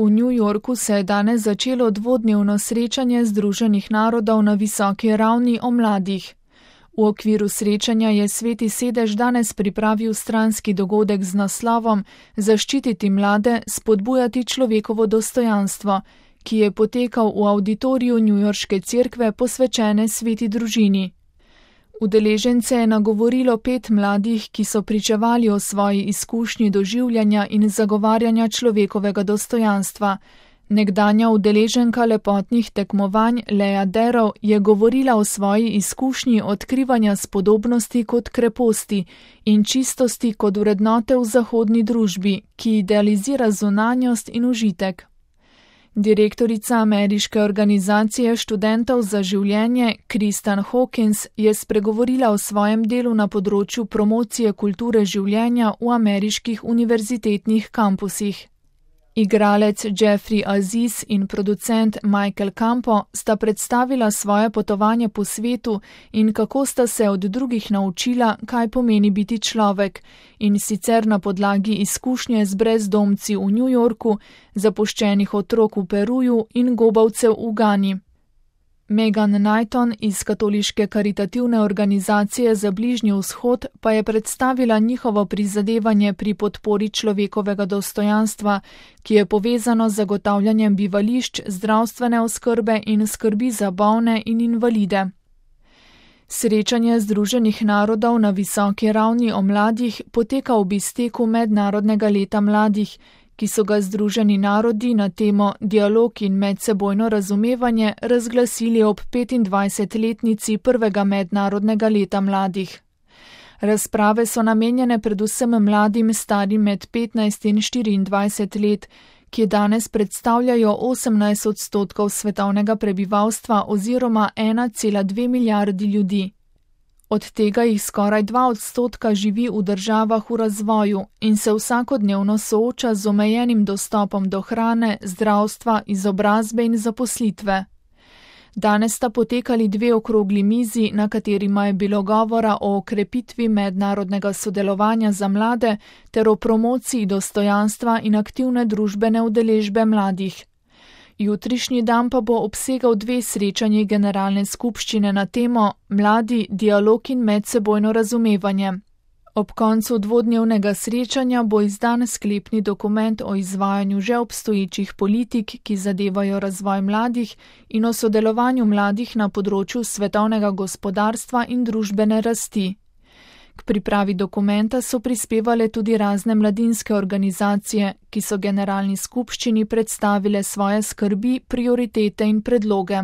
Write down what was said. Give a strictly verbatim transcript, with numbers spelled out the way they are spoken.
V New Yorku se je danes začelo dvodnevno srečanje Združenih narodov na visoki ravni o mladih. V okviru srečanja je Sveti sedež danes pripravil stranski dogodek z naslovom Zaščititi mlade, spodbujati človekovo dostojanstvo, ki je potekal v avditoriju Newyorške cerkve posvečene sveti družini. Udeležence je nagovorilo pet mladih, ki so pričevali o svoji izkušnji doživljanja in zagovarjanja človekovega dostojanstva. Nekdanja udeleženka lepotnih tekmovanj Lea Darrow je govorila o svoji izkušnji odkrivanja spodobnosti kot kreposti in čistosti kot vrednote v zahodni družbi, ki idealizira zunanjost in užitek. Direktorica ameriške organizacije študentov za življenje Kristen Hawkins je spregovorila o svojem delu na področju promocije kulture življenja v ameriških univerzitetnih kampusih. Igralec Jeffrey Aziz in producent Michael Campo sta predstavila svoje potovanje po svetu in kako sta se od drugih naučila, kaj pomeni biti človek, in sicer na podlagi izkušnje z brezdomci v New Yorku, zapuščenih otrok v Peruju in gobavcev v Gani. Megan Knighton iz katoliške karitativne organizacije za Bližnji vzhod pa je predstavila njihovo prizadevanje pri podpori človekovega dostojanstva, ki je povezano z zagotavljanjem bivališč, zdravstvene oskrbe in skrbi za bolne in invalide. Srečanje Združenih narodov na visoki ravni o mladih poteka v izteku Mednarodnega leta mladih, ki so ga Združeni narodi na temo Dialog in medsebojno razumevanje razglasili ob petindvajsetletnici prvega Mednarodnega leta mladih. Razprave so namenjene predvsem mladim starim med petnajst in štiriindvajset let, ki danes predstavljajo osemnajst odstotkov svetovnega prebivalstva oziroma ena cela dve milijardi ljudi. Od tega jih skoraj dva odstotka živi v državah v razvoju in se vsakodnevno sooča z omejenim dostopom do hrane, zdravstva, izobrazbe in zaposlitve. Danes sta potekali dve okrogli mizi, na katerima je bilo govora o okrepitvi mednarodnega sodelovanja za mlade ter o promociji dostojanstva in aktivne družbene udeležbe mladih. Jutrišnji dan pa bo obsegal dve srečanji generalne skupščine na temo Mladi, dialog in medsebojno razumevanje. Ob koncu dvodnevnega srečanja bo izdan sklepni dokument o izvajanju že obstoječih politik, ki zadevajo razvoj mladih, in o sodelovanju mladih na področju svetovnega gospodarstva in družbene rasti. K pripravi dokumenta so prispevale tudi razne mladinske organizacije, ki so generalni skupščini predstavile svoje skrbi, prioritete in predloge.